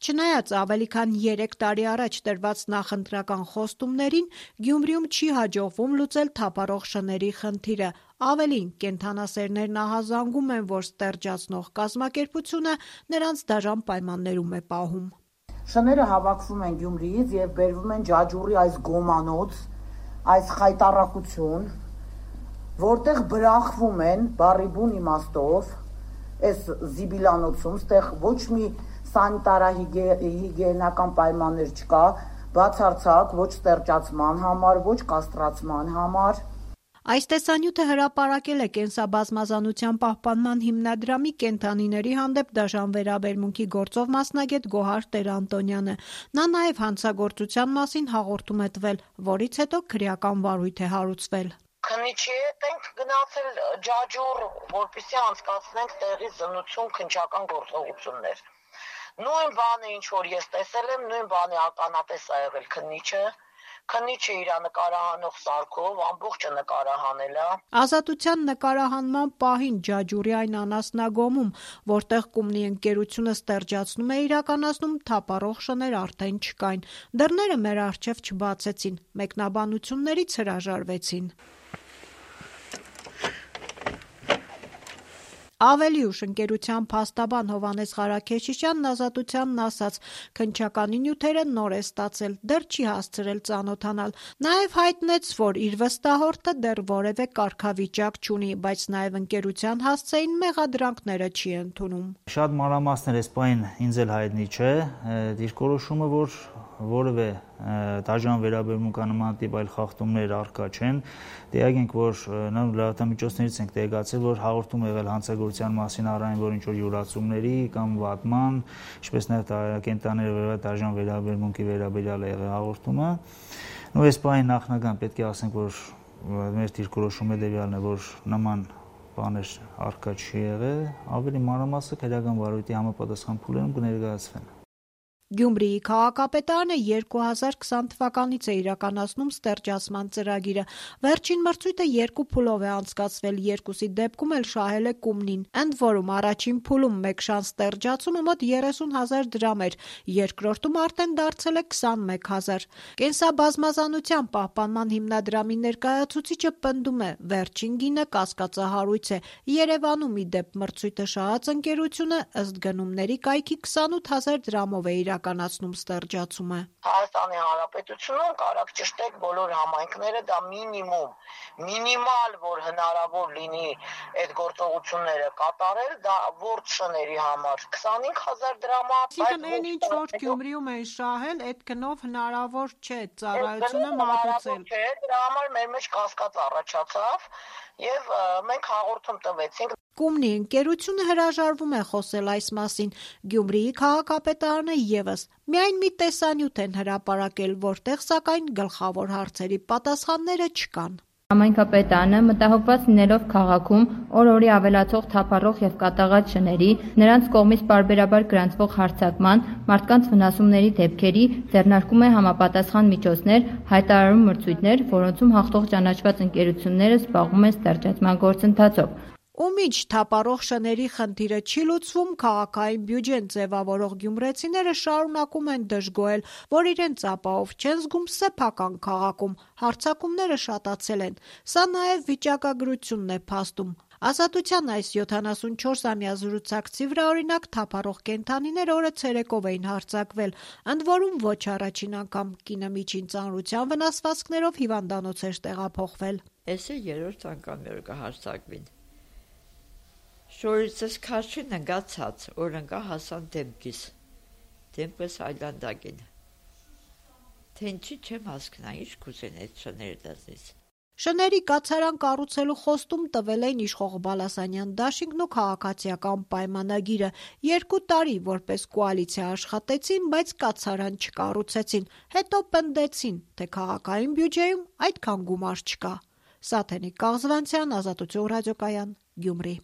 Չնայած ավելի քան 3 տարի առաջ տրված նախընտրական խոստումներին, Գյումրիում չի հաջողվում լուծել թափառող շների խնդիրը։ Ավելին, կենդանասերներն ահազանգում են, որ ստերջացնող կազմակերպությունը նրանց դաժան պայմաններում է պահում։ Շները հավաքվում են Գյումրիից եւ բերվում են Ջաջուրի այս գոմանոց, այս խայտառակություն, որտեղ բրախվում են բառի բուն իմաստով, այս զիբիլանոցում, ստեղ ոչ մի սանիտարահիգիենական պայմաններ չկա, բացարձակ ոչ ստերջացման համար, ոչ կաստրացման համար։ Այս տեսանյութը հրապարակել է կենսաբազմազանության պահպանման հիմնադրամի կենդանիների հանդեպ դաժան վերաբերմունքի գործով մասնագետ Գոհար Տեր-Անտոնյանը։ Նա նաև հանցագործության մասին հաղորդում է տվել, որից հետո քրեական վարույթ է հարուցվել։ Քննիչի հետ ենք գնացել Ջաջուր, որպեսզի անցկացնենք տեղի զննություն, քննչական գործողություններ։ Նույն բանը, ինչ որ ես տեսել եմ, նույն բանի ականատես ա եղել քննիչը իր նկարահանող սարքով ամբողջը նկարահանել է։ Ազատության նկարահանման պահին Ջաջուրի այն անասնագոմում, որտեղ Կումնի ընկերությունը ստերջացնում է իրականացնում, թափառող շներ արդեն չկային։ Դռները մեր առջև չբացեցին, մեկնաբանություններից հրաժարվեցին։ Ավելի ուշ ընկերության փաստաբան Հովհաննես Ղարաքեշիշյանն Ազատությանն ասաց, քննչականի նյութերը նոր է ստացել, դեռ չի հասցրել ծանոթանալ։ Նաև հայտնեց, որ իր վստահորդը դեռ որևէ կարգավիճակ չունի, բայց նաև ընկերության հասցեին մեղադրանքները չի ընդունում։ Շատ մանրամասներ այս պահին ինձ էլ հայտնի չէ, դիրքորոշումը, որ որևէ դաժան վերաբերմունք նման տիպ այլ խախտումներ առկա չեն, տեղյակ ենք, որ լրատվամիջոցներից ենք տեղեկացել, որ հաղորդում է եղել հանցագործության մասին առայն որ ինչ-որ յուրացումների կամ վատման, ինչպես նաև կենդանիների դաժան վերաբերմունքի վերաբերյալ է եղել հաղորդումը։ Ու այս պահին նախնական պետք է ասենք, որ մեր դիրքորոշումը հետևյալն է, որ նման բաներ առկա չի եղել, ավելի մանրամասը քրեական վարույթի համապատասխան փուլերում կներկայացվեն։ Գյումրիի քաղաքապետարանը 2020 թվականից է իրականացնում ստերջացման ծրագիրը։ Վերջին մրցույթը 2 փուլով է անցկացվել, երկուսի դեպքում էլ շահել է Կումնին։ Ընդ որում առաջին փուլում մեկ շան ստերջացումը մոտ 30,000 դրամ էր, երկրորդում արդեն դարձել է 21,000։ Կենսաբազմազանության պահպանման հիմնադրամի ներկայացուցիչը պնդում է, վերջին գինը կասկածահարույց է։ Երևանում ի դեպ մրցույթը շահած ընկերությունը ըստ գնումների կայքի 28,000 դրամով է իրականացնում ստերջացումը։ Հայաստանի Հանրապետությունում կարակ ճշտեք բոլոր համայնքները, դա մինիմալ, որ հնարավոր լինի այդ գործողությունները կատարել, դա ворդ շների համար 25,000 դրամ է։ Այսինքն այն ինչ որ Գյումրիում են շահել, այդ գնով հնարավոր չէ ծառայությունը մատուցել։ Դրա համար մեր մեջ կասկած առաջացավ եւ մենք հաղորդում տվեցինք։ Կումնի ընկերությունը հրաժարվում է խոսել այս մասին։ Գյումրիի քաղաքապետարանը եւս միայն մի տեսանյութ են հրապարակել, որտեղ սակայն գլխավոր հարցերի պատասխանները չկան։ Համայնքապետարանը մտահոգված լինելով քաղաքում օր-օրի ավելացող թափառող եւ կատաղած շների, նրանց կողմից պարբերաբար գրանցվող հարձակման, մարդկանց վնասումների դեպքերի ձեռնարկում է համապատասխան միջոցներ, հայտարարում մրցույթներ, որոնցում հաղթող ճանաչված ընկերությունները զբաղվում են ստերջացման գործընթացով։ Ու մինչ թափառող շների խնդիրը չի լուծվում, քաղաքային բյուջեն ձևավորող գյումրեցիները շարունակում են դժգոհել, որ իրենց ապահով չեն զգում սեփական քաղաքում, հարձակումները շատացել են։ Սա նաև վիճակագրությունն է փաստում։ Ազատության այս 74-ամյա զրուցակցի վրա օրինակ թափառող կենդանիներ օրը ցերեկով էին հարձակվել, ընդ որում ոչ առաջին անգամ կինը միջին ծանրության վնասվածքներով հիվանդանոց էր տեղափոխվել։ Էս է երրորդ անգամ որ կհարձակվին։ Շորիցս քաշի նգացած, որ ընկա հասան դեմքս այլանդակին։ Թե ինչի չեմ հասկնա, ինչ կուզեն այդ շները դզնից։ Շների կացարան կառուցելու խոստում տվել էին իշխող Բալասանյան դաշինքն ու քաղաքացիական պայմանագիրը։ 2 տարի որպես կոալիցիա աշխատեցին, բայց կացարան չկառուցեցին։ Հետո պնդեցին, թե քաղաքային բյուջեում այդքան գումար չկա։ Սաթենիկ Կաղզվանցյան, Ազատություն ռադիոկայան, Գյումրի։